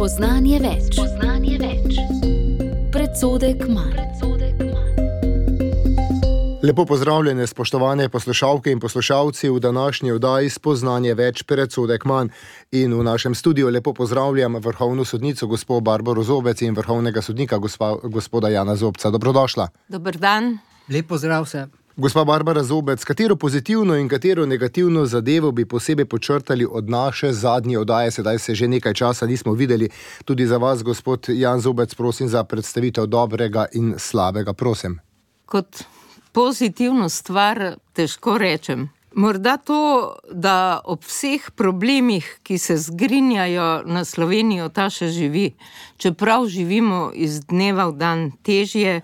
Spoznanje več. Predsodek manj. Lepo pozdravljene, spoštovane poslušalke in poslušalci v današnji oddaji Spoznanje več, predsodek manj. In v našem studiu lepo pozdravljam vrhovno sodnico gospo Barbaro Zobec in vrhovnega sodnika gospoda Jana Zobca. Dobrodošla. Dober dan. Lep pozdrav vse. Gospa Barbara Zobec, katero pozitivno in katero negativno zadevo bi posebej počrtali od naše zadnje oddaje? Sedaj se že nekaj časa nismo videli. Tudi za vas, gospod Jan Zobec, prosim za predstavitev dobrega in slabega, prosim. Kot pozitivno stvar težko rečem. Morda to, da ob vseh problemih, ki se zgrinjajo na Slovenijo, ta še živi. Čeprav živimo iz dneva v dan težje,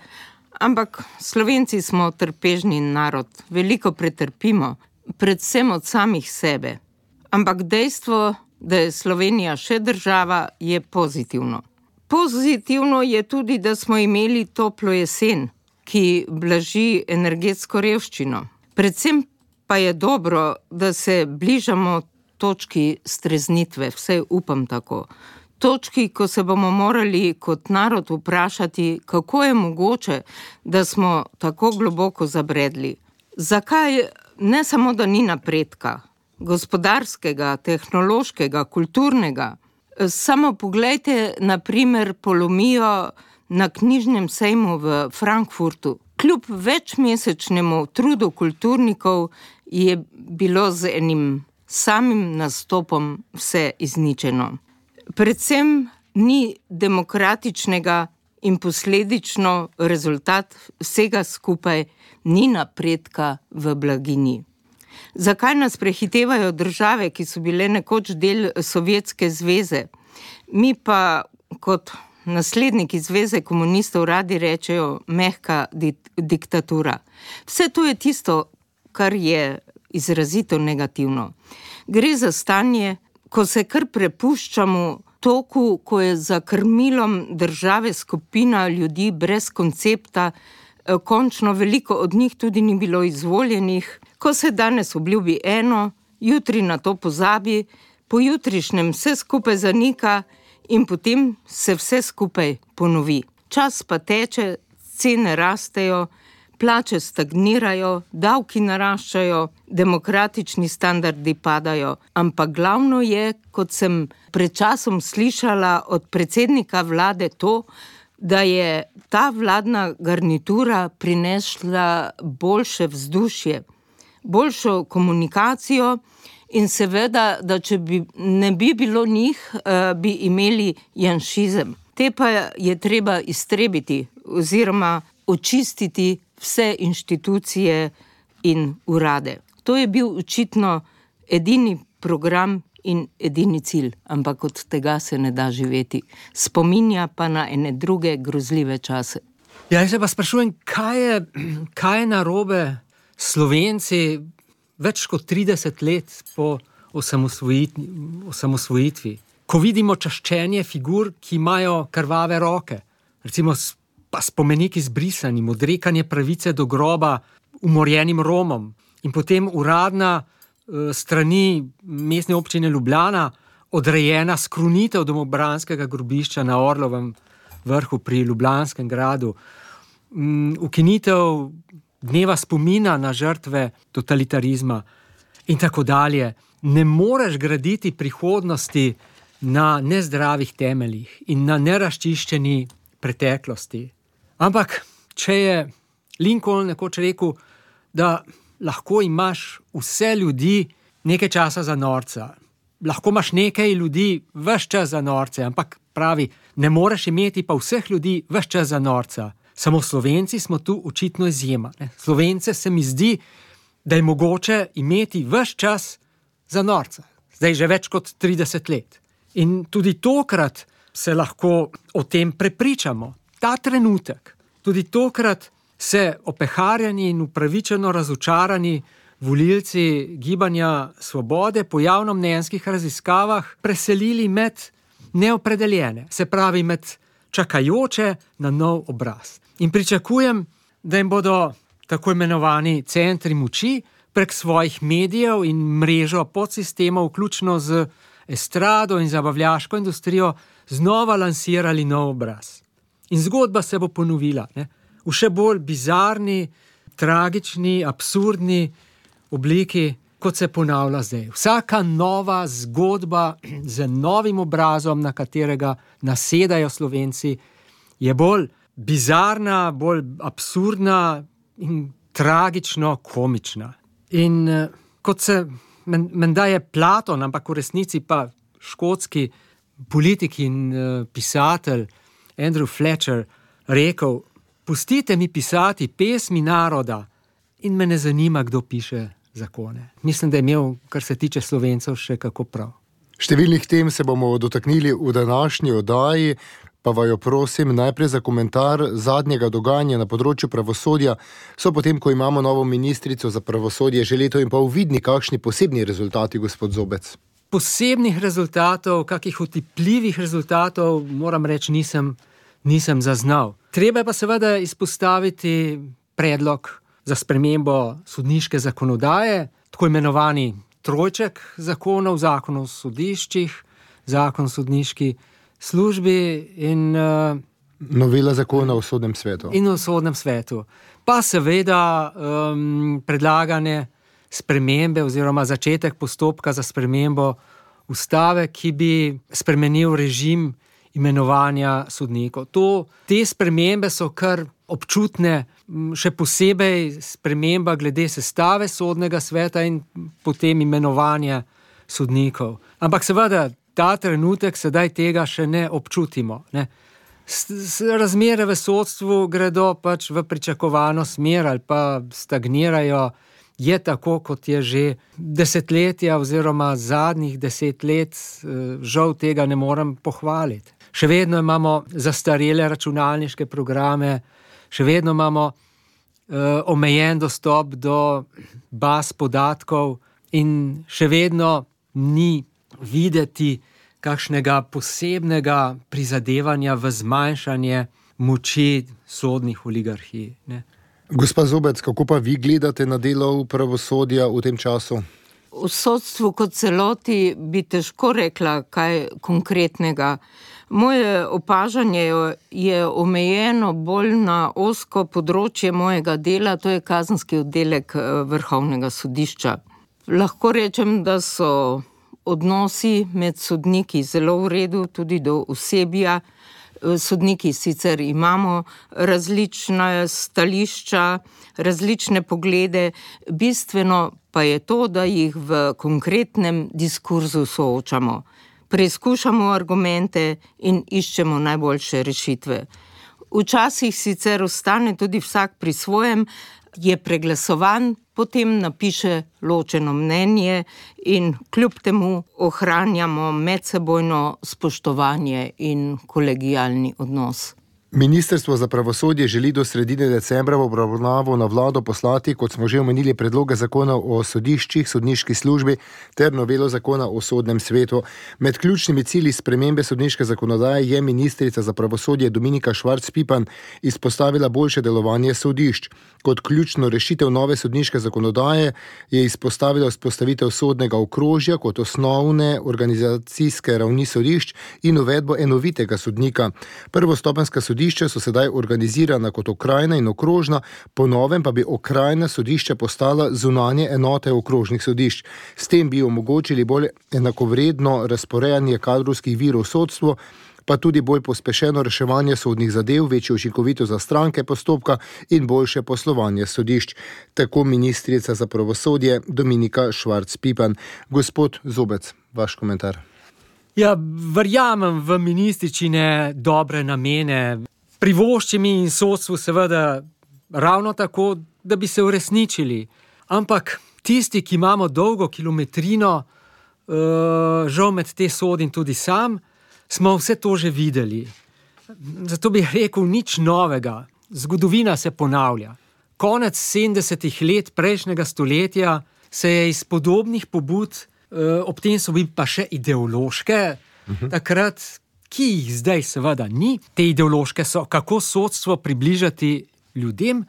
ampak Slovenci smo trpežni narod, veliko pretrpimo, predvsem od samih sebe. Ampak dejstvo, da je Slovenija še država, je pozitivno. Pozitivno je tudi, da smo imeli toplo jesen, ki blaži energetsko revščino. Predvsem pa je dobro, da se bližamo točki streznitve, vsaj upam tako. Točki, ko se bomo morali kot narod vprašati, kako je mogoče, da smo tako globoko zabredli. Zakaj ne samo, da ni napredka, gospodarskega, tehnološkega, kulturnega. Samo poglejte, na primer, polomijo na knjižnem sejmu v Frankfurtu. Kljub večmesečnemu trudu kulturnikov je bilo z enim samim nastopom vse izničeno. Predvsem ni demokratičnega in posledično rezultat vsega skupaj ni napredka v blaginji. Zakaj nas prehitevajo države, ki so bile nekoč del Sovjetske zveze? Mi pa kot nasledniki Zveze komunistov radi rečejo mehka diktatura. Vse to je tisto, kar je izrazito negativno. Gre za stanje, ko se kar prepuščamo toku, ko je za krmilom države skupina ljudi brez koncepta, končno veliko od njih tudi ni bilo izvoljenih, ko se danes obljubi eno, jutri na to pozabi, pojutrišnjem vse skupaj zanika in potem se vse skupaj ponovi. Čas pa teče, cene rastejo, plače stagnirajo, davki naraščajo, demokratični standardi padajo. Ampak glavno je, kot sem pred časom slišala od predsednika vlade to, da je ta vladna garnitura prinesla boljše vzdušje, boljšo komunikacijo in seveda, da če ne bi bilo njih, bi imeli janšizem. Te pa je treba iztrebiti oziroma očistiti vse inštitucije in urade. To je bil očitno edini program in edini cilj, ampak od tega se ne da živeti. Spominja pa na ene druge grozljive čase. Ja, jaz se pa sprašujem, kaj je narobe Slovenci več kot 30 let po osamosvojitvi. Ko vidimo čaščenje figur, ki imajo krvave roke, recimo pa spomenik izbrisanim, odrekanje pravice do groba umorjenim Romom in potem uradna strani mestne občine Ljubljana odrejena skrunitev domobranskega grobišča na Orlovem vrhu pri Ljubljanskem gradu, ukinitev dneva spomina na žrtve totalitarizma in tako dalje. Ne moreš graditi prihodnosti na nezdravih temeljih in na nerazčiščeni preteklosti. Ampak, če je Lincoln nekoč rekel, da lahko imaš vse ljudi nekaj časa za norca, lahko imaš nekaj ljudi ves čas za norce, ampak pravi, ne moreš imeti pa vseh ljudi ves čas za norca. Samo Slovenci smo tu očitno izjema. Slovence se mi zdi, da je mogoče imeti ves čas za norca. Zdaj že več kot 30 let. In tudi tokrat se lahko o tem prepričamo. Ta trenutek, tudi tokrat se opeharjeni in upravičeno razočarani volilci Gibanja Svobode po javnomnenjskih raziskavah preselili med neopredeljene, se pravi med čakajoče na nov obraz. In pričakujem, da jim bodo tako imenovani centri moči prek svojih medijev in mrežo podsistemov, vključno z estrado in zabavljaško industrijo znova lansirali nov obraz. In zgodba se bo ponovila, ne? V še bolj bizarni, tragični, absurdni obliki, kot se ponavlja zdaj. Vsaka nova zgodba z novim obrazom, na katerega nasedajo Slovenci, je bolj bizarna, bolj absurdna in tragično komična. In kot se menda je Platon, ampak v resnici pa škotski politik in pisatelj Andrew Fletcher rekel: pustite mi pisati pesmi naroda in me ne zanima, kdo piše zakone. Mislim, da je imel, kar se tiče Slovencev, še kako prav. Številnih tem se bomo dotaknili v današnji oddaji, pa vaju prosim najprej za komentar zadnjega dogajanja na področju pravosodja. So potem, ko imamo novo ministrico za pravosodje, že leto in pol vidni kakšni posebni rezultati, gospod Zobec? Posebnih rezultatov, kakih otipljivih rezultatov, moram reči, nisem zaznal. Treba pa seveda izpostaviti predlog za spremembo sodniške zakonodaje, tako imenovani trojček zakonov, zakon o sodiščih, zakon o sodniški službi in novela zakona o sodnem svetu. In o sodnem svetu. Pa seveda predlagane spremembe oziroma začetek postopka za spremembo ustave, ki bi spremenil režim imenovanja sodnikov. Te spremembe so kar občutne, še posebej sprememba glede sestave sodnega sveta in potem imenovanja sodnikov. Ampak seveda ta trenutek sedaj tega še ne občutimo, ne. Razmere v sodstvu gredo pač v pričakovano smer ali pa stagnirajo. Je tako, kot je že desetletja oziroma zadnjih 10 let, žal tega ne morem pohvaliti. Še vedno imamo zastarele računalniške programe, še vedno imamo omejen dostop do baz podatkov in še vedno ni videti kakšnega posebnega prizadevanja v zmanjšanje moči sodnih oligarhij, ne. Gospa Zobec, kako pa vi gledate na delo pravosodja v tem času? V sodstvu kot celoti bi težko rekla kaj konkretnega. Moje opažanje je omejeno bolj na ozko področje mojega dela, to je kazenski oddelek Vrhovnega sodišča. Lahko rečem, da so odnosi med sodniki zelo v redu, tudi do osebja. Sodniki sicer imamo različna stališča, različne poglede, bistveno pa je to, da jih v konkretnem diskurzu soočamo. Preizkušamo argumente in iščemo najboljše rešitve. Včasih sicer ostane tudi vsak pri svojem, je preglasovan, potem napiše ločeno mnenje in kljub temu ohranjamo medsebojno spoštovanje in kolegialni odnos. Ministrstvo za pravosodje želi do sredine decembra v obravnavo na vlado poslati, kot smo že omenili, predloge zakona o sodiščih, sodniški službi ter novelo zakona o sodnem svetu. Med ključnimi cilji spremembe sodniške zakonodaje je ministrica za pravosodje Dominika Švarc Pipan izpostavila boljše delovanje sodišč. Kot ključno rešitev nove sodniške zakonodaje je izpostavila vzpostavitev sodnega okrožja kot osnovne organizacijske ravni sodišč in uvedbo enovitega sodnika. Prvostopenjska sodišča so sedaj organizirana kot okrajna in okrožna, po novem pa bi okrajna sodišča postala zunanje enote okrožnih sodišč. S tem bi omogočili bolj enakovredno razporejanje kadrovskih virov v sodstvu, pa tudi bolj pospešeno reševanje sodnih zadev, večjo učinkovitost za stranke postopka in boljše poslovanje sodišč. Tako ministrica za pravosodje Dominika Švarc Pipan. Gospod Zobec, vaš komentar. Ja, verjamem v ministričine dobre namene. Privoščim in sodstvu seveda ravno tako, da bi se uresničili. Ampak tisti, ki imamo dolgo kilometrino, žal med te sodim tudi sam, smo vse to že videli. Zato bi rekel nič novega. Zgodovina se ponavlja. Konec 70. let prejšnjega stoletja se je iz podobnih pobud, ob tem so bili pa še ideološke, takrat, ki jih zdaj seveda ni, te ideološke so, kako sodstvo približati ljudem,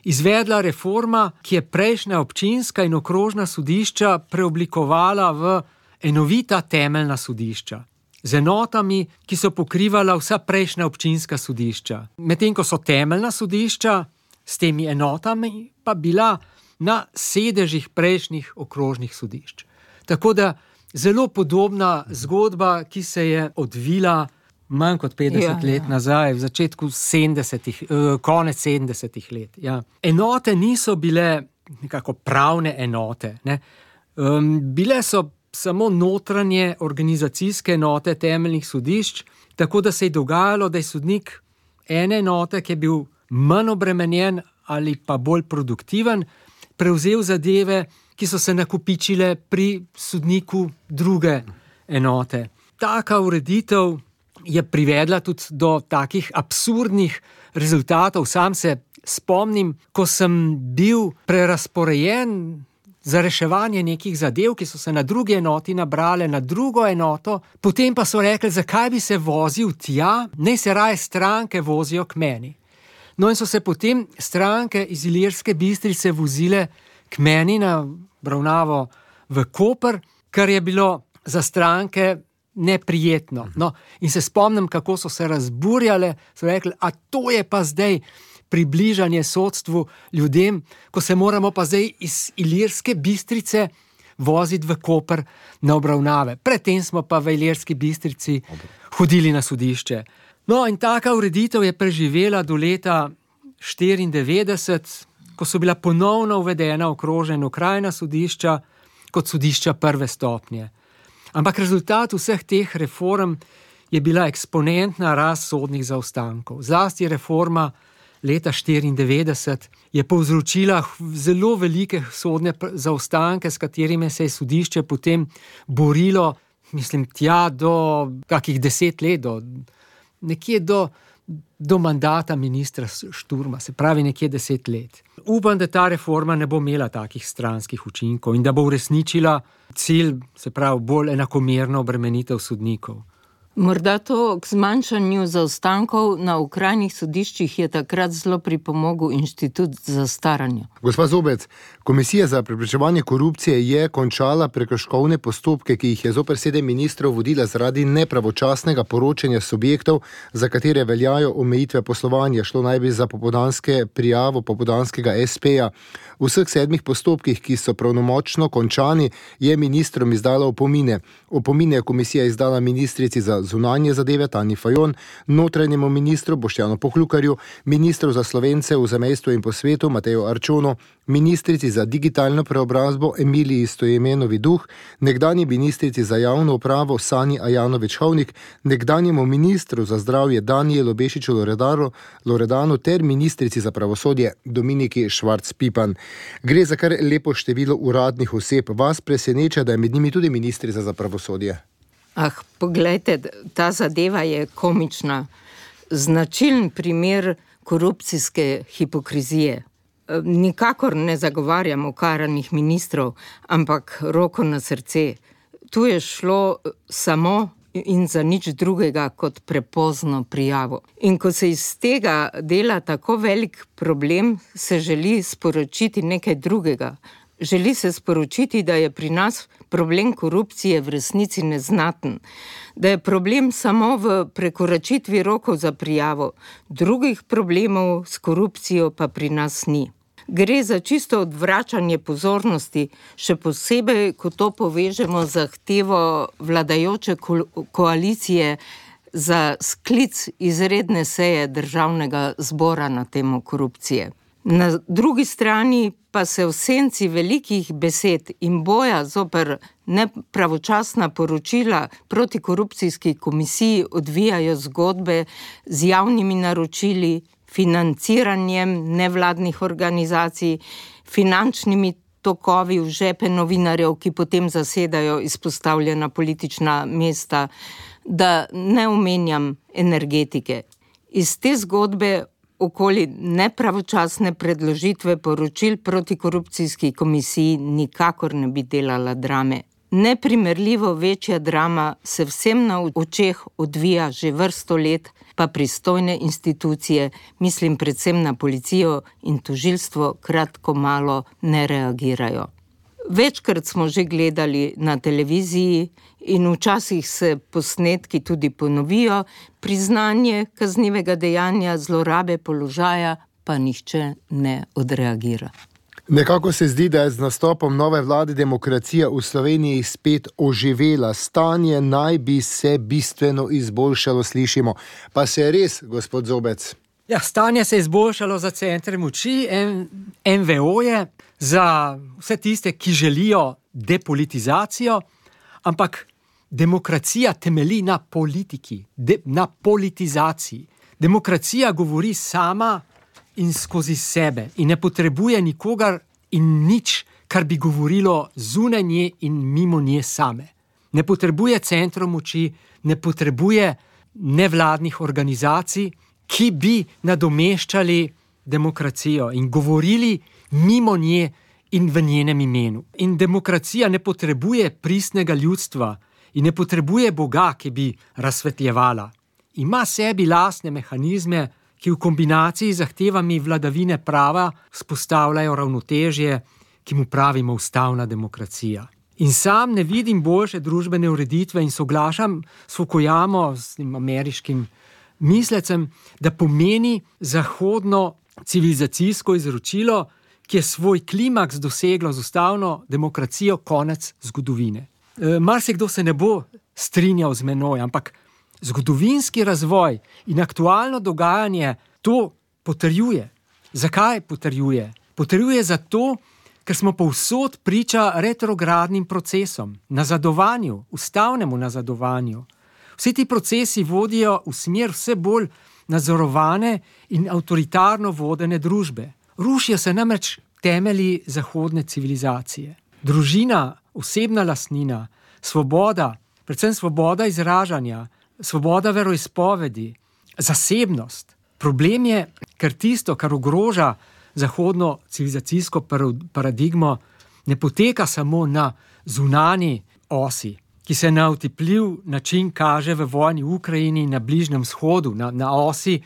izvedla reforma, ki je prejšnja občinska in okrožna sodišča preoblikovala v enovita temeljna sodišča z enotami, ki so pokrivala vsa prejšnja občinska sodišča. Medtem ko so temeljna sodišča s temi enotami pa bila na sedežih prejšnjih okrožnih sodišč. Tako da zelo podobna zgodba, ki se je odvila manj kot 50 let nazaj, v začetku 70-ih, konec 70-ih let. Ja. Enote niso bile nekako pravne enote, ne. Bile so samo notranje organizacijske enote temeljnih sodišč, tako da se je dogajalo, da je sodnik ene enote, ki je bil manj obremenjen ali pa bolj produktiven, prevzel zadeve, ki so se nakopičile pri sodniku druge enote. Taka ureditev je privedla tudi do takih absurdnih rezultatov. Sam se spomnim, ko sem bil prerasporejen za reševanje nekih zadev, ki so se na drugi enoti nabrale na drugo enoto, potem pa so rekli, zakaj bi se vozil tja, naj se raje stranke vozijo k meni. No in so se potem stranke iz Ilirske Bistrice vozile k meni na obravnavo v Koper, kar je bilo za stranke neprijetno. No, in se spomnim, kako so se razburjale, so rekli, a to je pa zdaj približanje sodstvu ljudem, ko se moramo pa zdaj iz Ilirske Bistrice voziti v Koper na obravnave. Predtem smo pa v Ilirski Bistrici hodili na sodišče. No in taka ureditev je preživela do leta 1994, ko so bila ponovno uvedena okrožna in okrajna sodišča kot sodišča prve stopnje. Ampak rezultat vseh teh reform je bila eksponentna rast sodnih zaostankov. Zlasti reforma leta 1994 je povzročila zelo velike sodne zaostanke, s katerimi se je sodišče potem borilo, tja do kakih 10 let, nekje do mandata ministra Šturma, se pravi nekje 10 let. Upam, da ta reforma ne bo imela takih stranskih učinkov in da bo uresničila cilj, se pravi bolj enakomerno obremenitev sodnikov. Morda to k zmanjšanju zaostankov na okrajnih sodiščih je takrat zelo pripomogel inštitut zastaranja. Gospa Zobec, Komisija za preprečevanje korupcije je končala prekrškovne postopke, ki jih je zoper 7 ministrov vodila zaradi nepravočasnega poročanja subjektov, za katere veljajo omejitve poslovanja. Šlo naj bi za popoldanske prijavo popoldanskega SP-ja. V vseh 7 postopkih, ki so pravnomočno končani, je ministrom izdala opomine. Opomine je komisija izdala ministrici za zunanje zadeve Tanji Fajon, notranjemu ministru Boštjanu Poklukarju, ministru za Slovence v zamejstvu in po svetu Mateju Arčonu, ministrici za digitalno preobrazbo Emiliji Stojmenovi Duh, nekdanji ministrici za javno upravo Sanji Ajanović-Hovnik, nekdanjemu ministru za zdravje Danijelu Bešiču Loredanu ter ministrici za pravosodje Dominiki Švarc-Pipan. Gre za kar lepo število uradnih oseb. Vas preseneča, da je med njimi tudi ministrica za pravosodje? Poglejte, ta zadeva je komična. Značilen primer korupcijske hipokrizije. Nikakor ne zagovarjam okaranih ministrov, ampak roko na srce. Tu je šlo samo in za nič drugega kot prepozno prijavo. In ko se iz tega dela tako velik problem, se želi sporočiti nekaj drugega. Želi se sporočiti, da je pri nas problem korupcije v resnici neznaten, da je problem samo v prekoračitvi rokov za prijavo, drugih problemov s korupcijo pa pri nas ni. Gre za čisto odvračanje pozornosti, še posebej, ko to povežemo z zahtevo vladajoče koalicije za sklic izredne seje Državnega zbora na temo korupcije. Na drugi strani pa se v senci velikih besed in boja zoper nepravočasna poročila proti korupcijski komisiji odvijajo zgodbe z javnimi naročili, financiranjem nevladnih organizacij, finančnimi tokovi v žepe novinarjev, ki potem zasedajo izpostavljena politična mesta, da ne omenjam energetike. Iz te zgodbe okoli nepravočasne predložitve poročil proti korupcijski komisiji nikakor ne bi delala drame. Neprimerljivo večja drama se vsem na očeh odvija že vrsto let, pa pristojne institucije, mislim predvsem na policijo in tožilstvo, kratko malo ne reagirajo. Večkrat smo že gledali na televiziji in včasih se posnetki tudi ponovijo, priznanje kaznivega dejanja, zlorabe položaja, pa nihče ne odreagira. Nekako se zdi, da je z nastopom nove vlade demokracija v Sloveniji spet oživela. Stanje naj bi se bistveno izboljšalo, slišimo. Pa se je res, gospod Zobec? Ja, stanje se je izboljšalo za centre moči, NVO-je, za vse tiste, ki želijo depolitizacijo, ampak demokracija temelji na politiki, na politizaciji. Demokracija govori sama in skozi sebe in ne potrebuje nikogar in nič, kar bi govorilo zunaj nje in mimo nje same. Ne potrebuje centrov moči, ne potrebuje nevladnih organizacij, ki bi nadomeščali demokracijo in govorili mimo nje in v njenem imenu. In demokracija ne potrebuje pristnega ljudstva in ne potrebuje Boga, ki bi razsvetljevala. Ima sebi lastne mehanizme, ki v kombinaciji z zahtevami vladavine prava vzpostavljajo ravnotežje, ki mu pravimo ustavna demokracija. In sam ne vidim boljše družbene ureditve in soglašam s Fukuyamo, s tem ameriškim mislecem, da pomeni zahodno civilizacijsko izročilo, ki je svoj klimaks doseglo z ustavno demokracijo konec zgodovine. Marsikdo se ne bo strinjal z menoj, ampak zgodovinski razvoj in aktualno dogajanje to potrjuje. Zakaj potrjuje? Potrjuje zato, ker smo povsod priča retrogradnim procesom, nazadovanju, ustavnemu nazadovanju. Vsi ti procesi vodijo v smer vse bolj nadzorovane in avtoritarno vodene družbe. Rušijo se namreč temelji zahodne civilizacije. Družina, osebna lastnina, svoboda, predvsem svoboda izražanja, svoboda veroizpovedi, zasebnost. Problem je, ker tisto, kar ogroža zahodno civilizacijsko paradigmo, ne poteka samo na zunanji osi, ki se na otipljiv način kaže v vojni v Ukrajini in na Bližnjem vzhodu, na osi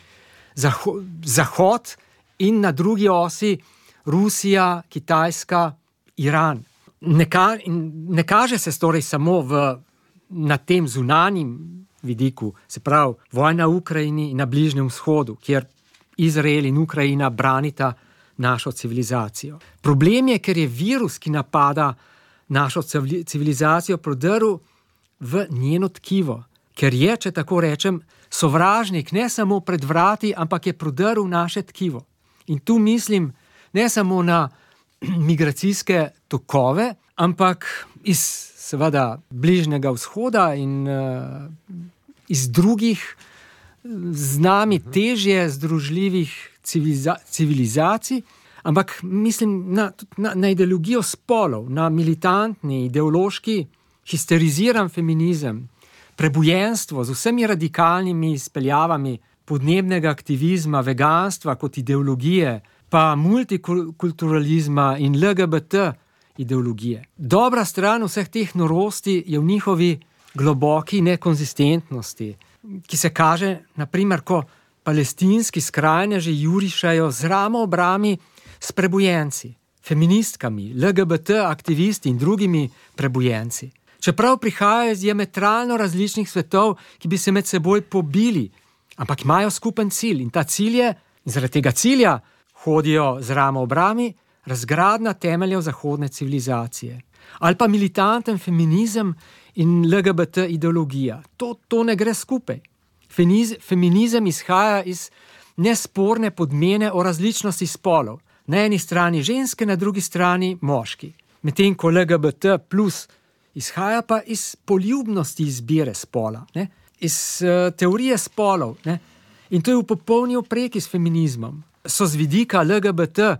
Zahod in na drugi osi Rusija, Kitajska, Iran. Ne kaže se torej samo na tem zunanjem vidiku, se pravi vojna v Ukrajini in na Bližnjem vzhodu, kjer Izrael in Ukrajina branita našo civilizacijo. Problem je, ker je virus, ki napada našo civilizacijo, prodrl v njeno tkivo, ker je, če tako rečem, sovražnik ne samo pred vrati, ampak je prodrl v naše tkivo. In tu mislim ne samo na migracijske tokove, ampak iz seveda Bližnjega vzhoda in iz drugih z nami težje združljivih civilizacij, ampak mislim na ideologijo spolov, na militantni, ideološki, histeriziran feminizem, prebujenstvo z vsemi radikalnimi izpeljavami podnebnega aktivizma, veganstva kot ideologije, pa multikulturalizma in LGBT ideologije. Dobra stran vseh teh norosti je v njihovi globoki nekonsistentnosti, ki se kaže, naprimer, ko palestinski skrajneži jurišajo z ramo ob rami s prebujenci, feministkami, LGBT aktivisti in drugimi prebujenci. Čeprav prihajajo iz diametralno različnih svetov, ki bi se med seboj pobili, ampak imajo skupen cilj in ta cilj je, in zaradi tega cilja hodijo z ramo ob rami, razgradnja temeljev zahodne civilizacije. Ali pa militanten feminizem in LGBT ideologija. To ne gre skupaj. Feminizem izhaja iz nesporne podmene o različnosti spolov. Na eni strani ženske, na drugi strani moški. Medtem ko LGBT plus izhaja pa iz poljubnosti izbire spola, ne? Iz teorije spolov. Ne? In to je v popolni opreki s feminizmom. So z vidika LGBT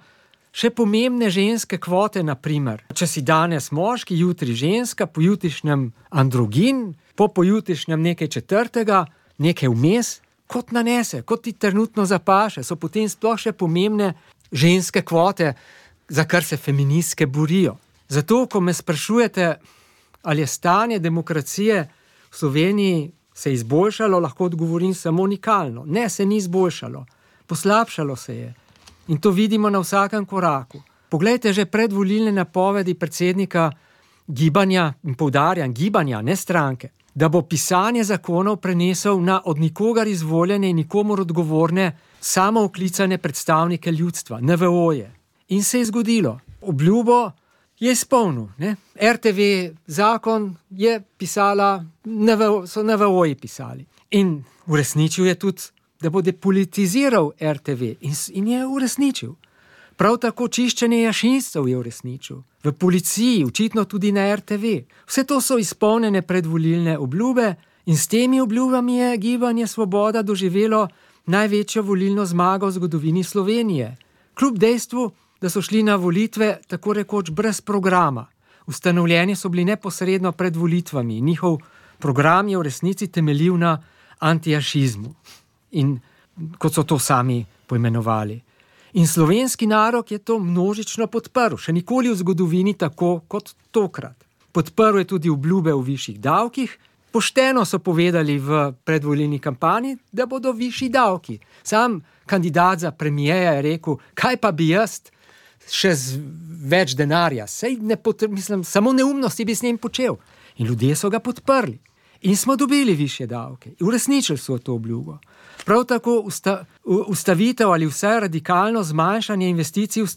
še pomembne ženske kvote, naprimer. Če si danes moški, jutri ženska, pojutrišnjem androgin, pojutrišnjem nekaj četrtega, nekaj vmes, kot nanese, kot ti trenutno zapaše, so potem sploh še pomembne ženske kvote, za kar se feministke borijo. Zato, ko me sprašujete, ali je stanje demokracije v Sloveniji se izboljšalo, lahko odgovorim samo unikalno. Ne, se ni izboljšalo. Poslabšalo se je. In to vidimo na vsakem koraku. Poglejte že predvolilne napovedi predsednika gibanja, in poudarjam gibanja, ne stranke, da bo pisanje zakonov prenesel na od nikogar izvoljene in nikomur odgovorne samooklicane predstavnike ljudstva, NVO-je. In se je zgodilo. Obljubo je izpolnil. Ne? RTV zakon je pisala, so NVO-ji pisali. In uresničil je tudi, da bo depolitiziral RTV. In je uresničil. Prav tako čiščenje jašincev je uresničil. V policiji, očitno tudi na RTV. Vse to so izpolnjene predvolilne obljube in s temi obljubami je Gibanje Svoboda doživelo največjo volilno zmago v zgodovini Slovenije. Kljub dejstvu, da so šli na volitve tako rekoč brez programa. Ustanovljeni so bili neposredno pred volitvami. Njihov program je v resnici temeljil na antijašizmu. In kot so to sami poimenovali. In slovenski narod je to množično podprl, še nikoli v zgodovini tako kot tokrat. Podprl je tudi obljube o višjih davkih, pošteno so povedali v predvolilni kampanji, da bodo višji davki. Sam kandidat za premijeja je rekel, kaj pa bi jaz še z več denarja, samo neumnosti bi s njim počel. In ljudje so ga podprli. In smo dobili višje davke. Uresničili so to obljubo. Prav tako ustavitev ali vsaj radikalno zmanjšanje investicij v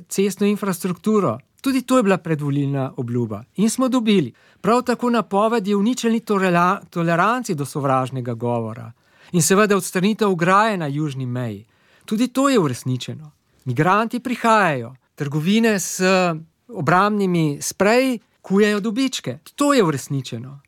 cestno infrastrukturo. Tudi to je bila predvolilna obljuba. In smo dobili. Prav tako napovedi o ničelni toleranci do sovražnega govora. In seveda odstranitev ograje na južni meji. Tudi to je uresničeno. Migranti prihajajo. Trgovine s obrambnimi spreji kujejo dobičke. To je uresničeno.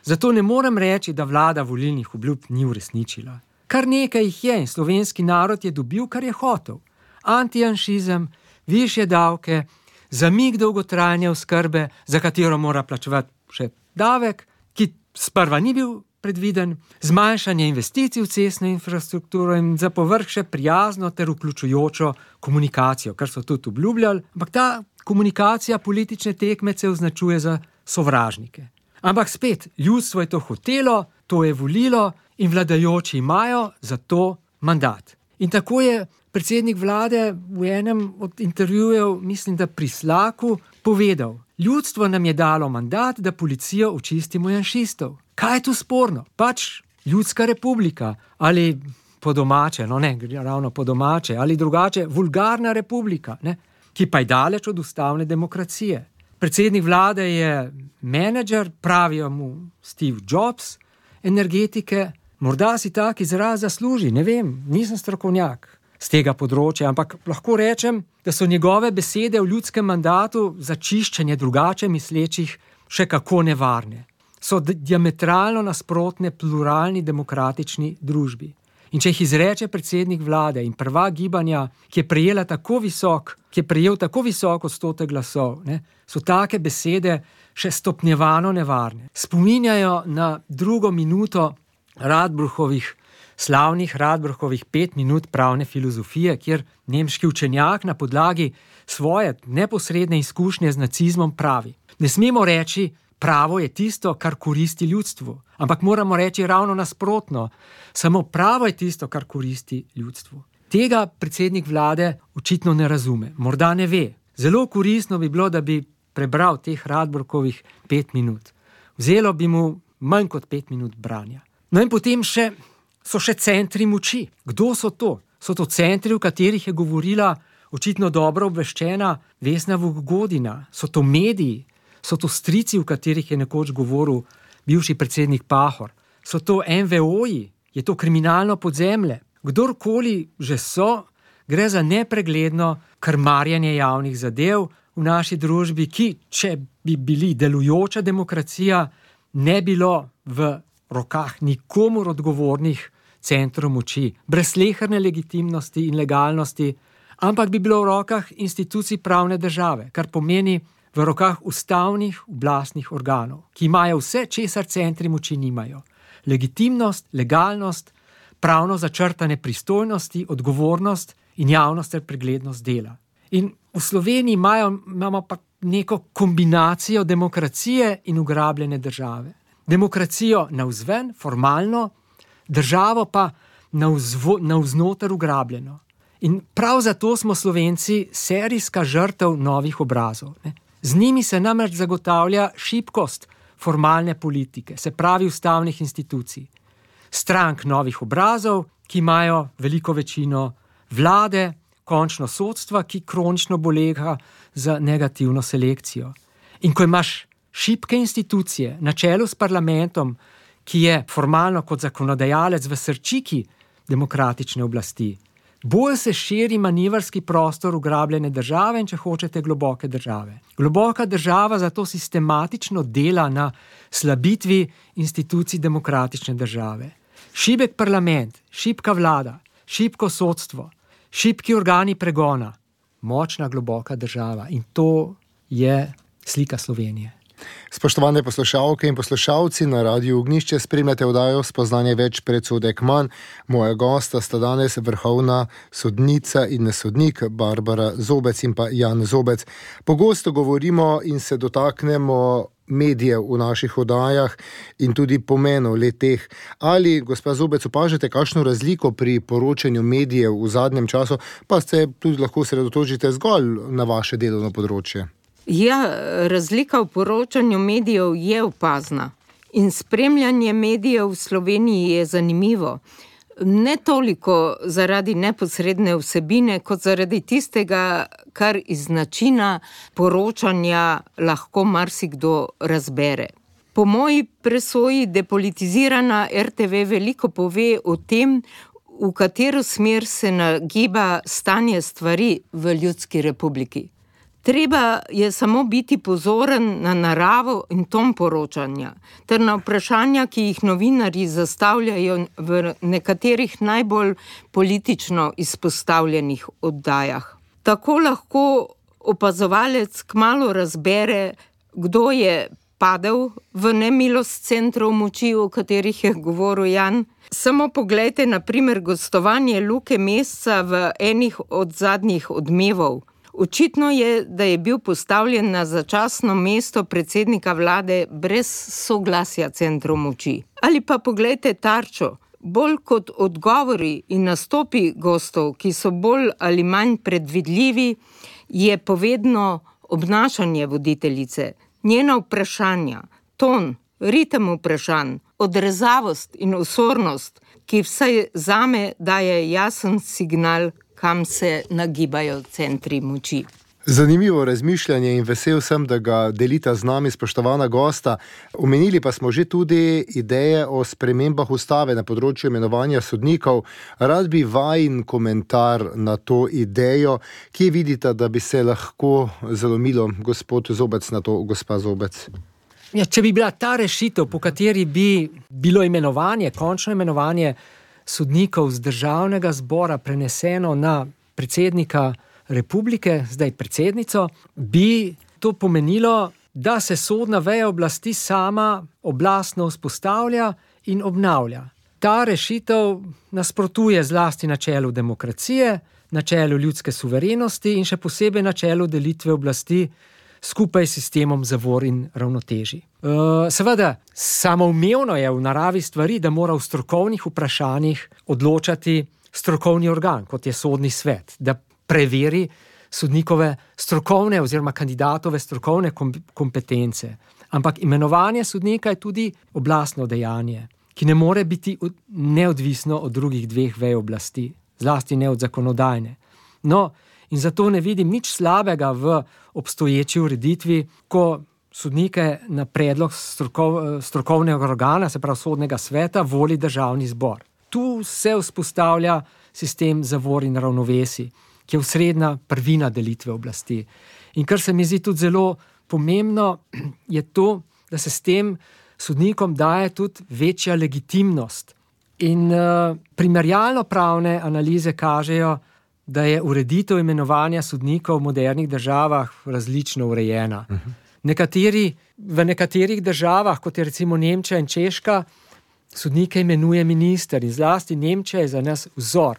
Zato ne morem reči, da vlada volilnih obljub ni uresničila. Kar nekaj jih je in slovenski narod je dobil, kar je hotel. Antijanšizem, višje davke, zamik dolgotrajne oskrbe, za katero mora plačevati še davek, ki sprva ni bil predviden, zmanjšanje investicij v cestno infrastrukturo in za povrh še prijazno ter vključujočo komunikacijo, kar so tudi obljubljali, ampak ta komunikacija politične tekmece označuje za sovražnike. Ampak spet, ljudstvo je to hotelo, to je volilo in vladajoči imajo za to mandat. In tako je predsednik vlade v enem od intervjujev, mislim, da pri Slaku, povedal, ljudstvo nam je dalo mandat, da policijo očistimo janšistov. Kaj je tu sporno? Pač ljudska republika ali po domače, ravno po domače, ali drugače vulgarna republika, ki pa je daleč od ustavne demokracije. Predsednik vlade je menedžer, pravijo mu Steve Jobs, energetike, morda si tak izraz zasluži, ne vem, nisem strokovnjak z tega področja, ampak lahko rečem, da so njegove besede v ljudskem mandatu za čiščenje drugače mislečih še kako nevarne. So diametralno nasprotne pluralni demokratični družbi. In če jih izreče predsednik vlade in prvak gibanja, ki je prejel tako visok odstotek glasov, so take besede še stopnjevano nevarne. Spominjajo na 2. minuto slavnih Radbruchovih 5 minut pravne filozofije, kjer nemški učenjak na podlagi svoje neposredne izkušnje z nacizmom pravi: ne smemo reči, pravo je tisto, kar koristi ljudstvu, ampak moramo reči ravno nasprotno. Samo pravo je tisto, kar koristi ljudstvu. Tega predsednik vlade očitno ne razume, morda ne ve. Zelo koristno bi bilo, da bi prebral teh Radbruchovih 5 minut. Vzelo bi mu manj kot 5 minut branja. No in potem so še centri moči. Kdo so to? So to centri, v katerih je govorila očitno dobro obveščena Vesna Vukgodina. So to mediji. So to strici, v katerih je nekoč govoril bivši predsednik Pahor. So to NVO-ji, je to kriminalno podzemlje. Kdorkoli že so, gre za nepregledno krmarjenje javnih zadev v naši družbi, ki, če bi bili delujoča demokracija, ne bilo v rokah nikomur odgovornih centrov moči, brez sleherne legitimnosti in legalnosti, ampak bi bilo v rokah institucij pravne države, kar pomeni v rokah ustavnih oblastnih organov, ki imajo vse, česar centri moči nimajo. Legitimnost, legalnost, pravno začrtane pristojnosti, odgovornost in javnost ter preglednost dela. In v Sloveniji imamo pa neko kombinacijo demokracije in ugrabljene države. Demokracijo navzven, formalno, državo pa navznoter ugrabljeno. In prav zato smo Slovenci serijska žrtev novih obrazov. Ne. Z njimi se namreč zagotavlja šibkost formalne politike, se pravi ustavnih institucij, strank novih obrazov, ki imajo veliko večino, vlade, končno sodstva, ki kronično bolega za negativno selekcijo. In ko imaš šibke institucije na čelu s parlamentom, ki je formalno kot zakonodajalec v srčiki demokratične oblasti, bolj se širi manevrski prostor ugrabljene države in, če hočete, globoke države. Globoka država zato sistematično dela na slabitvi institucij demokratične države. Šibek parlament, šibka vlada, šibko sodstvo, šibki organi pregona, močna globoka država. In to je slika Slovenije. Spoštovane poslušalke in poslušalci, na Radiu Ognjišče spremljate oddajo Spoznanje več, predsodek manj. Moja gosta sta danes vrhovna sodnica in sodnik Barbara Zobec in pa Jan Zobec. Pogosto govorimo in se dotaknemo medijev v naših oddajah in tudi pomenov le-teh. Ali, gospa Zobec, opažate kakšno razliko pri poročanju medijev v zadnjem času, pa se tudi lahko sredotočite zgolj na vaše delovno področje? Ja, razlika v poročanju medijev je opazna in spremljanje medijev v Sloveniji je zanimivo. Ne toliko zaradi neposredne vsebine, kot zaradi tistega, kar iz načina poročanja lahko marsikdo razbere. Po moji presoji depolitizirana RTV veliko pove o tem, v katero smer se nagiba stanje stvari v Ljudski republiki. Treba je samo biti pozoren na naravo in ton poročanja, ter na vprašanja, ki jih novinarji zastavljajo v nekaterih najbolj politično izpostavljenih oddajah. Tako lahko opazovalec kmalu razbere, kdo je padel v nemilost centrov moči, o katerih je govoril Jan. Samo poglejte, na primer, gostovanje Luke Mesca v enih od zadnjih Odmevov. Očitno je, da je bil postavljen na začasno mesto predsednika vlade brez soglasja centrov moči. Ali pa poglejte Tarčo. Bolj kot odgovori in nastopi gostov, ki so bolj ali manj predvidljivi, je povedno obnašanje voditeljice, njena vprašanja, ton, ritem vprašanj, odrezavost in osornost, ki vsaj zame daje jasen signal, kam se nagibajo centri moči. Zanimivo razmišljanje in vesel sem, da ga delita z nami spoštovana gosta. Omenili pa smo že tudi ideje o spremembah ustave na področju imenovanja sodnikov. Rad bi vajin komentar na to idejo, ki vidite, da bi se lahko zalomilo, gospod Zobec, na to, gospa Zobec. Ja, če bi bila ta rešitev, po kateri bi bilo imenovanje, končno imenovanje sodnikov z državnega zbora preneseno na predsednika republike, zdaj predsednico, bi to pomenilo, da se sodna veja oblasti sama oblastno vzpostavlja in obnavlja. Ta rešitev nasprotuje zlasti načelu demokracije, načelu ljudske suverenosti in še posebej načelu delitve oblasti skupaj s sistemom zavor in ravnotežij. Seveda, samoumevno je v naravi stvari, da mora v strokovnih vprašanjih odločati strokovni organ, kot je Sodni svet, da preveri sodnikove strokovne oziroma kandidatove strokovne kompetence. Ampak imenovanje sodnika je tudi oblastno dejanje, ki ne more biti neodvisno od drugih dveh vej oblasti, zlasti ne od zakonodajne. No, in zato ne vidim nič slabega v obstoječi ureditvi, ko sodnike na predlog strokovnega organa, se pravi Sodnega sveta, voli Državni zbor. Tu se vzpostavlja sistem zavor in ravnovesij, ki je osrednja prvina delitve oblasti. In kar se mi zdi tudi zelo pomembno, je to, da se s tem sodnikom daje tudi večja legitimnost. In primerjalno pravne analize kažejo, da je ureditev imenovanja sodnikov v modernih državah različno urejena. V nekaterih državah, kot je recimo Nemčija in Češka, sodnike imenuje minister in zlasti Nemčija je za nas vzor.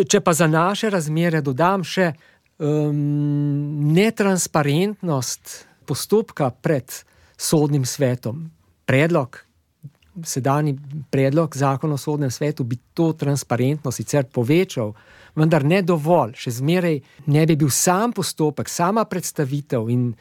Če pa za naše razmere dodam še netransparentnost postopka pred Sodnim svetom, predlog sedanji predlog zakona o sodnem svetu bi to transparentnost sicer povečal, vendar ne dovolj. Še zmeraj ne bi bil sam postopek, sama predstavitev in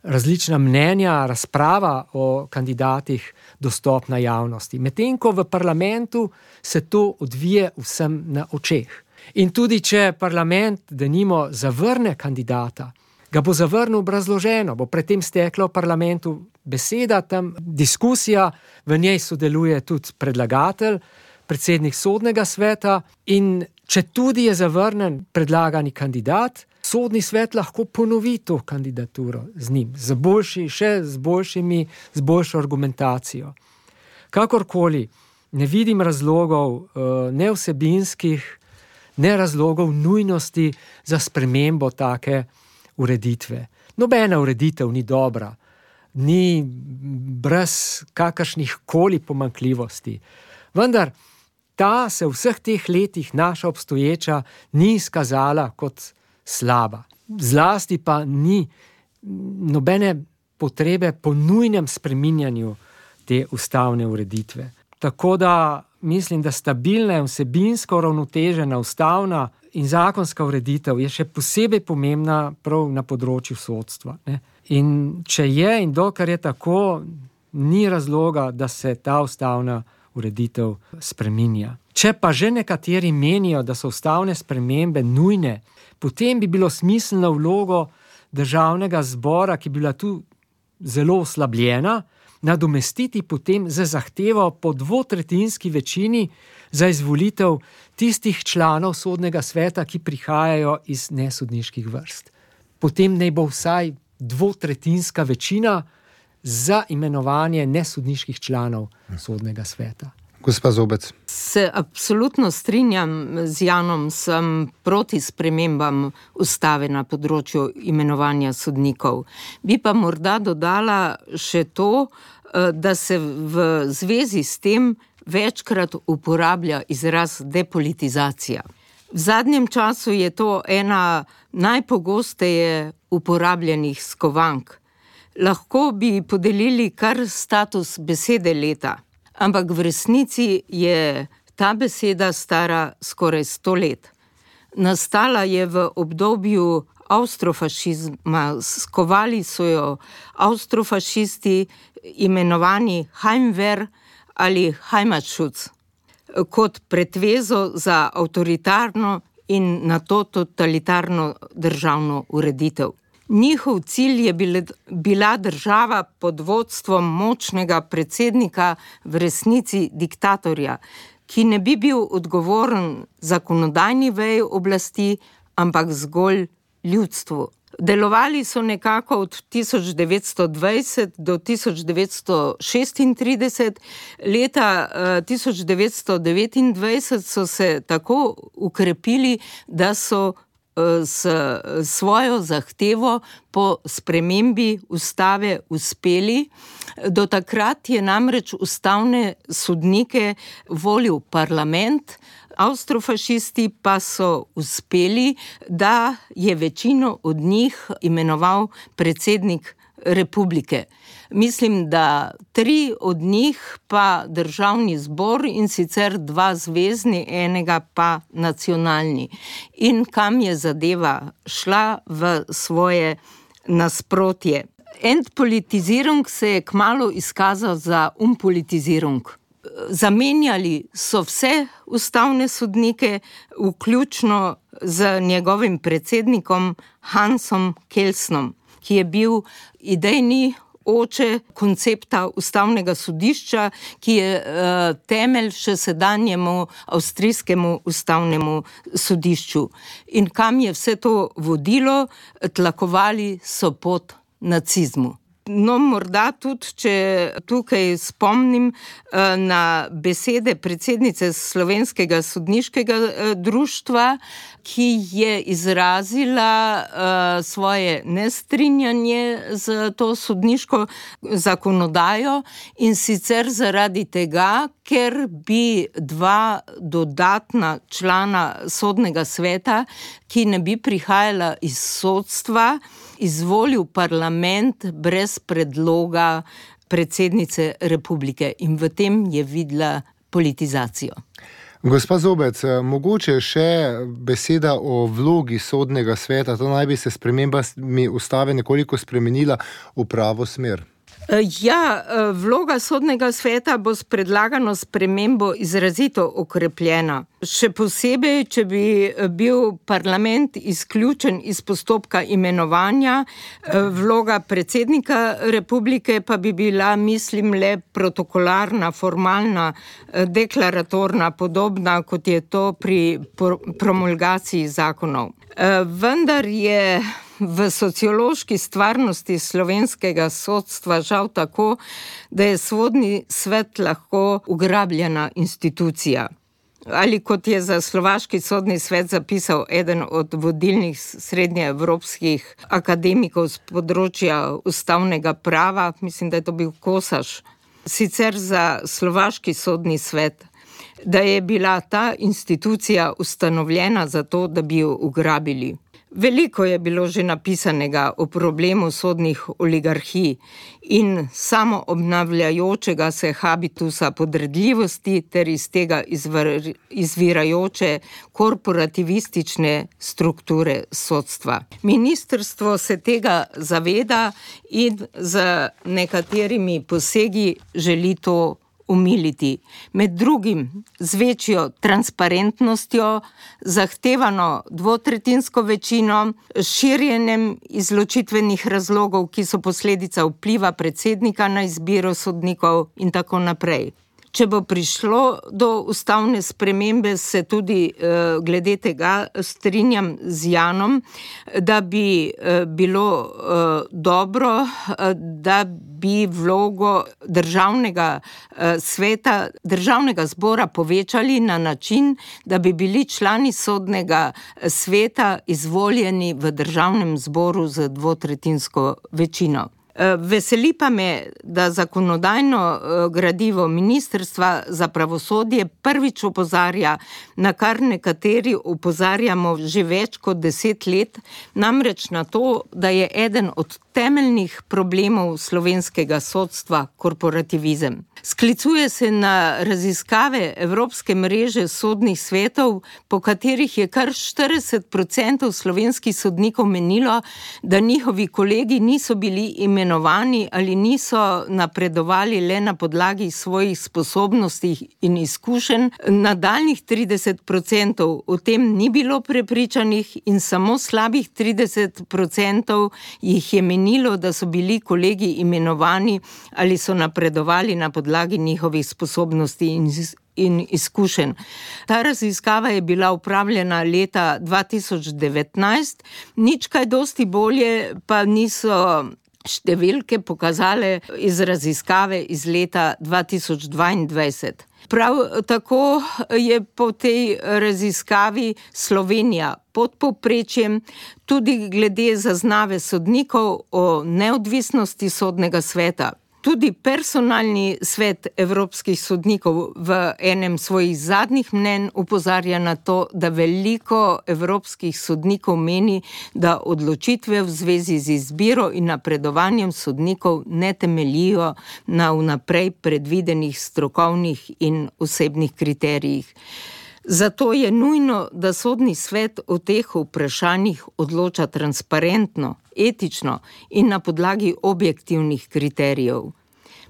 različna mnenja, razprava o kandidatih dostopna javnosti. Medtem ko v parlamentu se to odvije vsem na očeh. In tudi če parlament, denimo, zavrne kandidata, ga bo zavrnil obrazloženo, bo predtem stekla v parlamentu beseda, tam diskusija, v njej sodeluje tudi predlagatelj, predsednik sodnega sveta in če tudi je zavrnen predlagani kandidat, sodni svet lahko ponovi to kandidaturo z njim, z boljšo argumentacijo. Kakorkoli, ne vidim razlogov, ne vsebinskih, ne razlogov nujnosti za spremembo take ureditve. Nobena ureditev ni dobra, ni brez kakršnih koli pomanjkljivosti. Vendar ta se v vseh teh letih naša obstoječa ni izkazala kot slaba. Zlasti pa ni nobene potrebe po nujnem spreminjanju te ustavne ureditve. Tako da mislim, da stabilna in vsebinsko uravnotežena ustavna in zakonska ureditev je še posebej pomembna prav na področju sodstva, ne? In če je in dokler je tako, ni razloga, da se ta ustavna ureditev spreminja. Če pa že nekateri menijo, da so ustavne spremembe nujne, potem bi bilo smiselno vlogo Državnega zbora, ki bi bila tu zelo oslabljena, nadomestiti potem z zahtevo po 2/3 večini za izvolitev tistih članov sodnega sveta, ki prihajajo iz nesodniških vrst. Potem naj bo vsaj 2/3 večina za imenovanje nesodniških članov sodnega sveta. Gospa Zobec. Se absolutno strinjam z Janom, sem proti spremembam ustave na področju imenovanja sodnikov. Bi pa morda dodala še to, da se v zvezi s tem večkrat uporablja izraz depolitizacija. V zadnjem času je to ena najpogosteje uporabljenih skovank. Lahko bi podelili kar status besede leta, ampak v resnici je ta beseda stara skoraj 100 let. Nastala je v obdobju avstrofašizma, skovali so jo avstrofašisti, imenovani Heimwehr ali Heimatschutz, kot pretvezo za avtoritarno in nato totalitarno državno ureditev. Njihov cilj je bila država pod vodstvom močnega predsednika, v resnici diktatorja, ki ne bi bil odgovoren zakonodajni veji oblasti, ampak zgolj ljudstvu. Delovali so nekako od 1920 do 1936, leta 1929 so se tako ukrepili, da so s svojo zahtevo po spremembi ustave uspeli. Do takrat je namreč ustavne sodnike volil parlament, avstrofašisti pa so uspeli, da je večino od njih imenoval predsednik republike. Mislim, da 3 od njih pa državni zbor, in sicer 2 zvezni, enega pa nacionalni. In kam je zadeva šla v svoje nasprotje. Entpolitizirung se je kmalu izkazal za unpolitizirung. Zamenjali so vse ustavne sodnike, vključno z njegovim predsednikom Hansom Kelsnom, ki je bil idejni oče koncepta ustavnega sodišča, ki je temelj še sedanjemu avstrijskemu ustavnemu sodišču. In kam je vse to vodilo? Tlakovali so pot nacizmu. No, morda tudi, če tukaj spomnim na besede predsednice Slovenskega sodniškega društva, ki je izrazila svoje nestrinjanje z to sodniško zakonodajo, in sicer zaradi tega, ker bi 2 dodatna člana sodnega sveta, ki ne bi prihajala iz sodstva, izvolil parlament brez predloga predsednice republike in v tem je videla politizacijo. Gospa Zobec, mogoče še beseda o vlogi sodnega sveta. To naj bi se spremembami ustave nekoliko spremenila v pravo smer. Ja, vloga sodnega sveta bo s predlagano spremembo izrazito okrepljena. Še posebej, če bi bil parlament izključen iz postopka imenovanja, vloga predsednika republike pa bi bila, mislim, le protokolarna, formalna, deklaratorna, podobna, kot je to pri promulgaciji zakonov. Vendar je v sociološki stvarnosti slovenskega sodstva žal tako, da je sodni svet lahko ugrabljena institucija. Ali kot je za slovaški sodni svet zapisal eden od vodilnih srednjeevropskih akademikov z področja ustavnega prava, mislim, da je to bil Kosaš, sicer za slovaški sodni svet, da je bila ta institucija ustanovljena zato, da bi jo ugrabili. Veliko je bilo že napisanega o problemu sodnih oligarhij in samo obnavljajočega se habitusa podredljivosti ter iz tega izvirajoče korporativistične strukture sodstva. Ministrstvo se tega zaveda in z nekaterimi posegi želi to umiliti. Med drugim z večjo transparentnostjo, zahtevano dvotretjinsko večino, širjenjem izločitvenih razlogov, ki so posledica vpliva predsednika na izbiro sodnikov in tako naprej. Če bo prišlo do ustavne spremembe, se tudi glede tega strinjam z Janom, da bi bilo dobro, da bi vlogo državnega sveta, državnega zbora povečali na način, da bi bili člani sodnega sveta izvoljeni v državnem zboru z dvotretjinsko večino. Veseli pa me, da zakonodajno gradivo Ministrstva za pravosodje prvič opozarja, na kar nekateri opozarjamo že več kot 10 let, namreč na to, da je eden od temeljnih problemov slovenskega sodstva korporativizem. Sklicuje se na raziskave Evropske mreže sodnih svetov, po katerih je kar 40% slovenskih sodnikov menilo, da njihovi kolegi niso bili imenovani ali niso napredovali le na podlagi svojih sposobnosti in izkušenj. Nadaljnjih 30% o tem ni bilo prepričanih in samo slabih 30% jih je menilo, da so bili kolegi imenovani ali so napredovali na podlagi njihovih sposobnosti in izkušenj. Ta raziskava je bila opravljena leta 2019, nič kaj dosti bolje pa niso številke pokazale iz raziskave iz leta 2022. Prav tako je po tej raziskavi Slovenija pod povprečjem tudi glede zaznave sodnikov o neodvisnosti sodnega sveta. Tudi personalni svet evropskih sodnikov v enem svojih zadnjih mnenj opozarja na to, da veliko evropskih sodnikov meni, da odločitve v zvezi z izbiro in napredovanjem sodnikov ne temeljijo na vnaprej predvidenih strokovnih in osebnih kriterijih. Zato je nujno, da sodni svet o teh vprašanjih odloča transparentno, etično in na podlagi objektivnih kriterijev.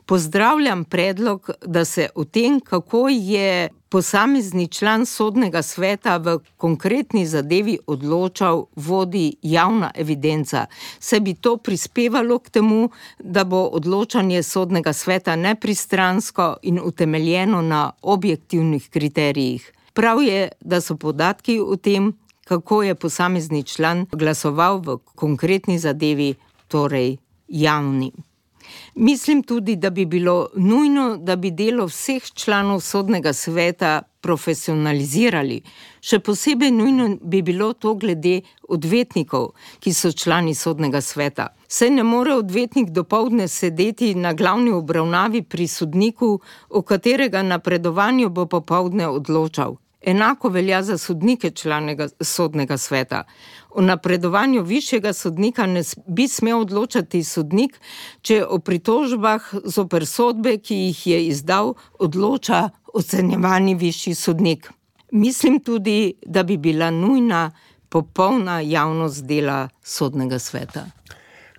Pozdravljam predlog, da se o tem, kako je posamezni član sodnega sveta v konkretni zadevi odločal, vodi javna evidenca. Se bi to prispevalo k temu, da bo odločanje sodnega sveta nepristransko in utemeljeno na objektivnih kriterijih. Prav je, da so podatki o tem, kako je posamezni član glasoval v konkretni zadevi, torej javni. Mislim tudi, da bi bilo nujno, da bi delo vseh članov sodnega sveta profesionalizirali. Še posebej nujno bi bilo to glede odvetnikov, ki so člani sodnega sveta. Saj ne more odvetnik dopoldne sedeti na glavni obravnavi pri sodniku, o katerega napredovanju bo popoldne odločal. Enako velja za sodnike članega sodnega sveta. O napredovanju višjega sodnika ne bi smel odločati sodnik, če o pritožbah zoper sodbe, ki jih je izdal, odloča ocenjevani višji sodnik. Mislim tudi, da bi bila nujna popolna javnost dela sodnega sveta.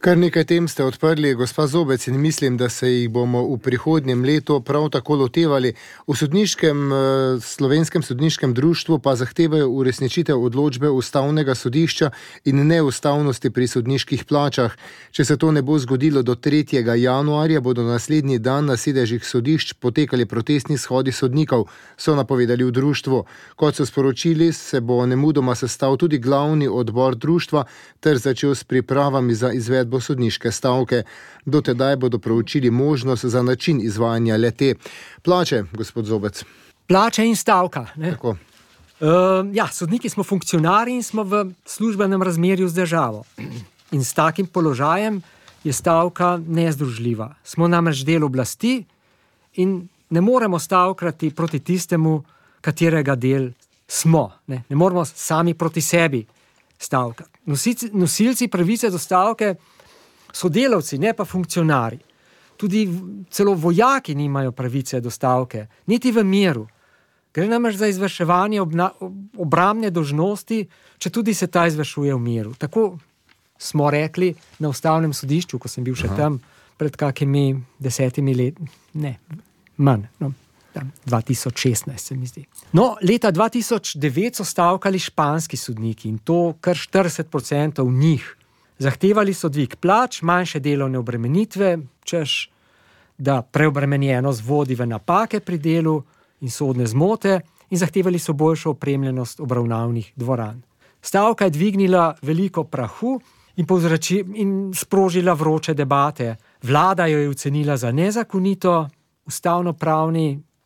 Kar nekaj tem ste odprli, gospa Zobec, in mislim, da se jih bomo v prihodnjem letu prav tako lotevali. V Slovenskem sodniškem društvu pa zahtevajo uresničitev odločbe Ustavnega sodišča in neustavnosti pri sodniških plačah. Če se to ne bo zgodilo do 3. januarja, bodo naslednji dan na sedežih sodišč potekali protestni shodi sodnikov, so napovedali v društvu. Kot so sporočili, se bo nemudoma sestal tudi glavni odbor društva ter začel s pripravami za izvedbo sodniške stavke. Do tedaj bodo proučili možnost za način izvajanja le-te. Plače, gospod Zobec. Plače in stavka. Ne? Tako. Sodniki smo funkcionarji in smo v službenem razmerju z državo. In s takim položajem je stavka nezdružljiva. Smo namreč del oblasti in ne moremo stavkati proti tistemu, katerega del smo. Ne moremo sami proti sebi stavkati. Nosilci pravice do stavke so delavci, ne pa funkcionarji. Tudi celo vojaki nimajo pravice do stavke, niti v miru. Gre namreč za izvrševanje obrambne dolžnosti, če tudi se ta izvršuje v miru. Tako smo rekli na Ustavnem sodišču, ko sem bil še tam pred kakimi 10 leti, ne, manj, 2016 se mi zdi. Leta 2009 so stavkali španski sodniki in to kar 40% njih. Zahtevali so dvig plač, manjše delovne obremenitve, češ, da preobremenjenost vodi v napake pri delu in sodne zmote, in zahtevali so boljšo opremljenost obravnavnih dvoran. Stavka je dvignila veliko prahu in sprožila vroče debate. Vlada jo je ocenila za nezakonito,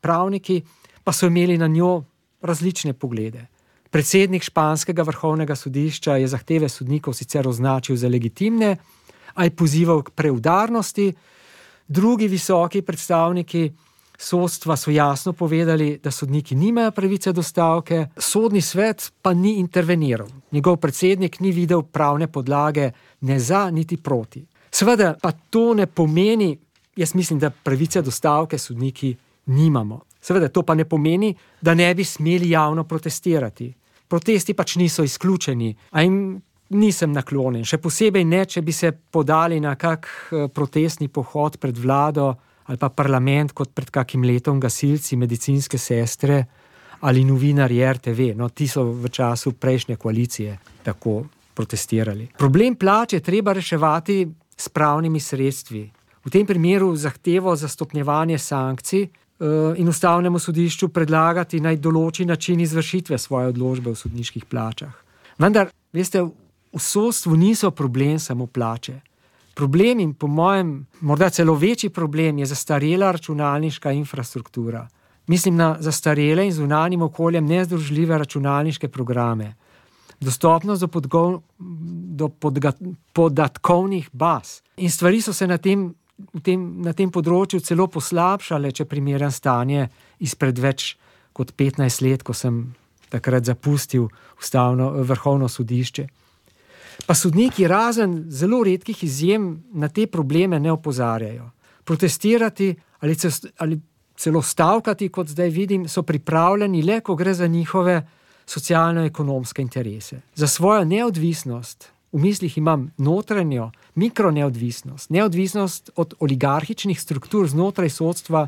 pravniki pa so imeli na njo različne poglede. Predsednik španskega vrhovnega sodišča je zahteve sodnikov sicer označil za legitimne, a je pozival k preudarnosti. Drugi visoki predstavniki sodstva so jasno povedali, da sodniki nimajo pravice do stavke, sodni svet pa ni interveniral. Njegov predsednik ni videl pravne podlage ne za niti proti. Seveda pa to ne pomeni, jaz mislim, da pravice do stavke sodniki nimamo. Seveda to pa ne pomeni, da ne bi smeli javno protestirati. Protesti pač niso izključeni, a jim nisem naklonjen. Še posebej ne, če bi se podali na kak protestni pohod pred vlado ali pa parlament, kot pred kakim letom gasilci, medicinske sestre ali novinarji RTV. Ti so v času prejšnje koalicije tako protestirali. Problem plač je treba reševati s pravnimi sredstvi. V tem primeru zahtevo za stopnjevanje sankcij in Ustavnemu sodišču predlagati naj določi način izvršitve svoje odločbe v sodniških plačah. Vendar, veste, v sodstvu niso problem samo plače. Problem in po mojem morda celo večji problem je zastarela računalniška infrastruktura. Mislim na zastarele in zunanjim okoljem nezdružljive računalniške programe. Dostopnost do podatkovnih baz. In stvari so se na tem področju celo poslabšale, če primerjam stanje izpred več kot 15 let, ko sem takrat zapustil Vrhovno sodišče. Pa sodniki razen zelo redkih izjem na te probleme ne opozarjajo. Protestirati ali celo stavkati, kot zdaj vidim, so pripravljeni le, ko gre za njihove socialno-ekonomske interese. Za svojo neodvisnost, v mislih imam notranjo, mikroneodvisnost, neodvisnost od oligarhičnih struktur znotraj sodstva,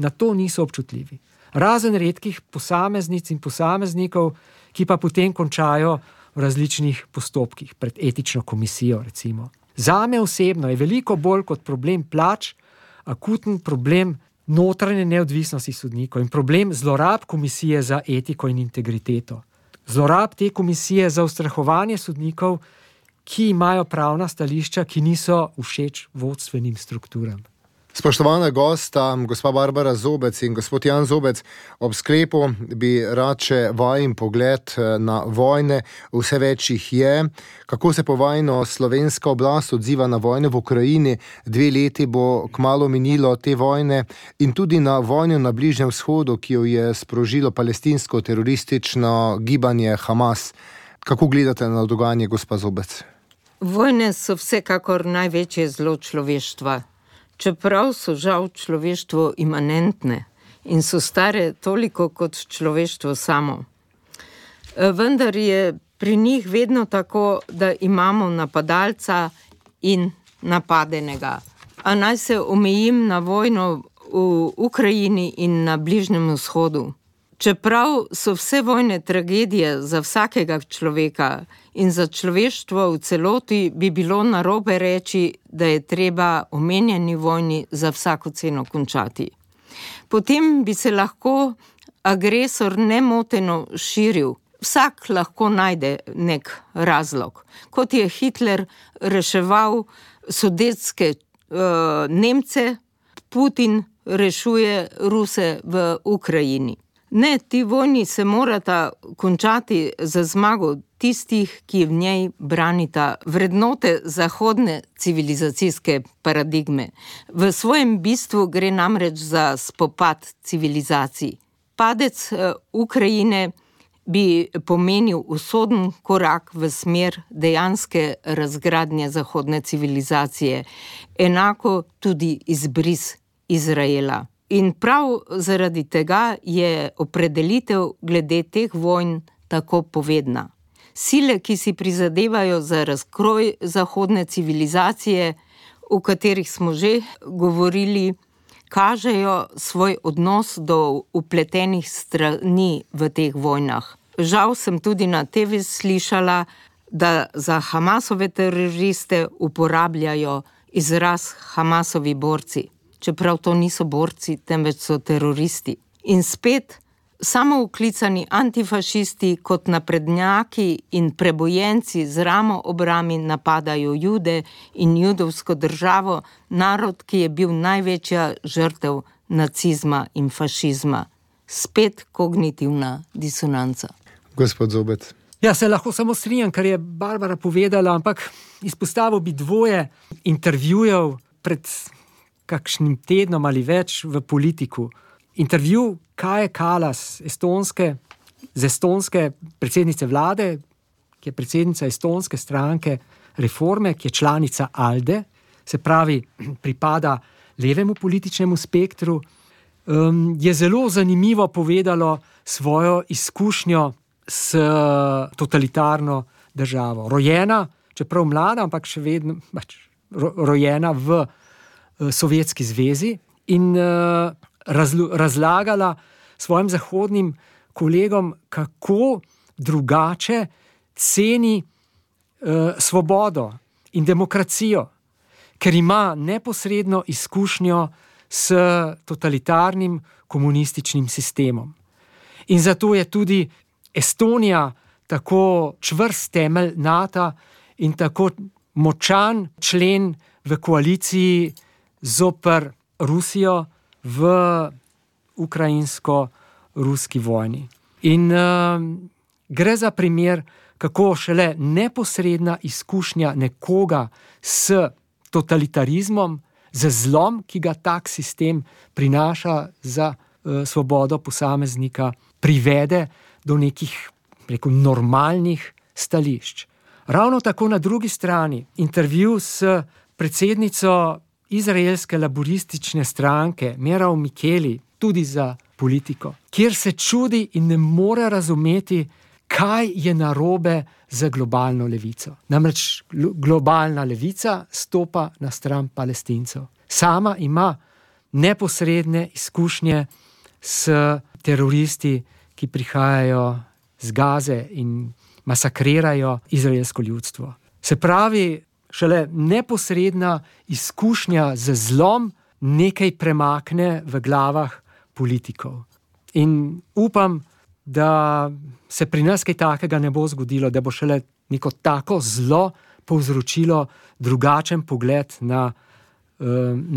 na to niso občutljivi. Razen redkih posameznic in posameznikov, ki pa potem končajo v različnih postopkih, pred etično komisijo recimo. Zame osebno je veliko bolj kot problem plač, akuten problem notranje neodvisnosti sodnikov in problem zlorab komisije za etiko in integriteto. Zlorab te komisije za ustrahovanje sodnikov, ki imajo pravna stališča, ki niso všeč vodstvenim strukturam. Spoštovana gosta, gospa Barbara Zobec in gospod Jan Zobec, ob sklepu bi rad še vajin pogled na vojne, vse več jih je. Kako se povojno slovenska oblast odziva na vojne v Ukrajini? 2 leti bo kmalu minilo te vojne in tudi na vojno na Bližnjem vzhodu, ki jo je sprožilo palestinsko teroristično gibanje Hamas. Kako gledate na dogajanje, gospa Zobec? Vojne so vsekakor največje zlo človeštva. Čeprav so žal človeštvo imanentne in so stare toliko kot človeštvo samo. Vendar je pri njih vedno tako, da imamo napadalca in napadenega. A naj se omejim na vojno v Ukrajini in na Bližnjem vzhodu. Čeprav so vse vojne tragedije za vsakega človeka in za človeštvo v celoti, bi bilo narobe reči, da je treba omenjeni vojni za vsako ceno končati. Potem bi se lahko agresor nemoteno širil. Vsak lahko najde nek razlog. Kot je Hitler reševal sudetske Nemce, Putin rešuje Ruse v Ukrajini. Ne, ti vojni se morata končati za zmago tistih, ki v njej branita vrednote zahodne civilizacijske paradigme. V svojem bistvu gre namreč za spopad civilizacij. Padec Ukrajine bi pomenil usoden korak v smer dejanske razgradnje zahodne civilizacije, enako tudi izbris Izraela. In prav zaradi tega je opredelitev glede teh vojn tako povedna. Sile, ki si prizadevajo za razkroj zahodne civilizacije, o katerih smo že govorili, kažejo svoj odnos do vpletenih strani v teh vojnah. Žal sem tudi na TV slišala, da za Hamasove teroriste uporabljajo izraz Hamasovi borci. Čeprav to niso borci, temveč so teroristi. In spet samouklicani antifašisti kot naprednjaki in prebojenci z ramo ob rami napadajo Jude in judovsko državo, narod, ki je bil največja žrtev nacizma in fašizma. Spet kognitivna disonanca. Gospod Zobec. Ja, se lahko samo strinjam, kar je Barbara povedala, ampak izpostavil bi 2 intervjujev pred kakšnim tednom ali več v Politiku. Intervju Kaje Kallas, estonske predsednice vlade, ki je predsednica estonske stranke Reforme, ki je članica ALDE, se pravi, pripada levemu političnemu spektru, je zelo zanimivo povedalo svojo izkušnjo s totalitarno državo. Rojena, čeprav mlada, ampak še vedno rojena v Sovjetski zvezi in razlagala svojim zahodnim kolegom, kako drugače ceni svobodo in demokracijo, ker ima neposredno izkušnjo s totalitarnim komunističnim sistemom. In zato je tudi Estonija tako čvrst temelj NATO in tako močan člen v koaliciji zoper Rusijo v ukrajinsko-ruski vojni. In gre za primer, kako šele neposredna izkušnja nekoga s totalitarizmom, z zlom, ki ga tak sistem prinaša za svobodo posameznika, privede do nekih, normalnih stališč. Ravno tako na drugi strani intervju s predsednico izraelske laboristične stranke Merav Mikeli, tudi za Politiko, kjer se čudi in ne more razumeti, kaj je narobe z globalno levico. Namreč globalna levica stopa na stran Palestincev. Sama ima neposredne izkušnje s teroristi, ki prihajajo z Gaze in masakrirajo izraelsko ljudstvo. Se pravi, šele neposredna izkušnja z zlom nekaj premakne v glavah politikov. In upam, da se pri nas kaj takega ne bo zgodilo, da bo šele neko tako zlo povzročilo drugačen pogled na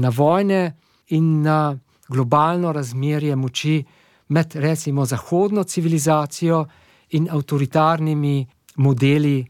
vojne in na globalno razmerje moči med recimo zahodno civilizacijo in avtoritarnimi modeli,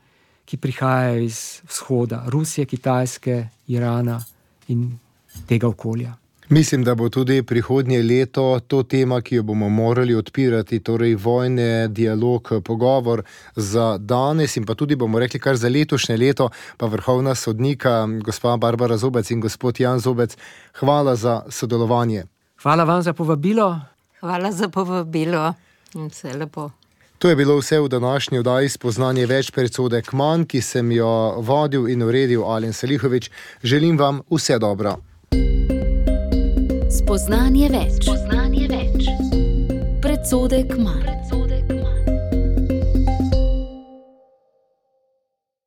ki prihajajo iz vzhoda, Rusije, Kitajske, Irana in tega okolja. Mislim, da bo tudi prihodnje leto to tema, ki jo bomo morali odpirati, torej vojne, dialog, pogovor za danes in pa tudi bomo rekli kar za letošnje leto, pa vrhovna sodnika, gospa Barbara Zobec in gospod Jan Zobec, hvala za sodelovanje. Hvala vam za povabilo. Hvala za povabilo in vse lepo. To je bilo vse v današnji oddaji Spoznanje več predsodek manj, ki sem jo vodil in uredil Alen Selihovič. Želim vam vse dobro. Spoznanje več. Predsodek manj.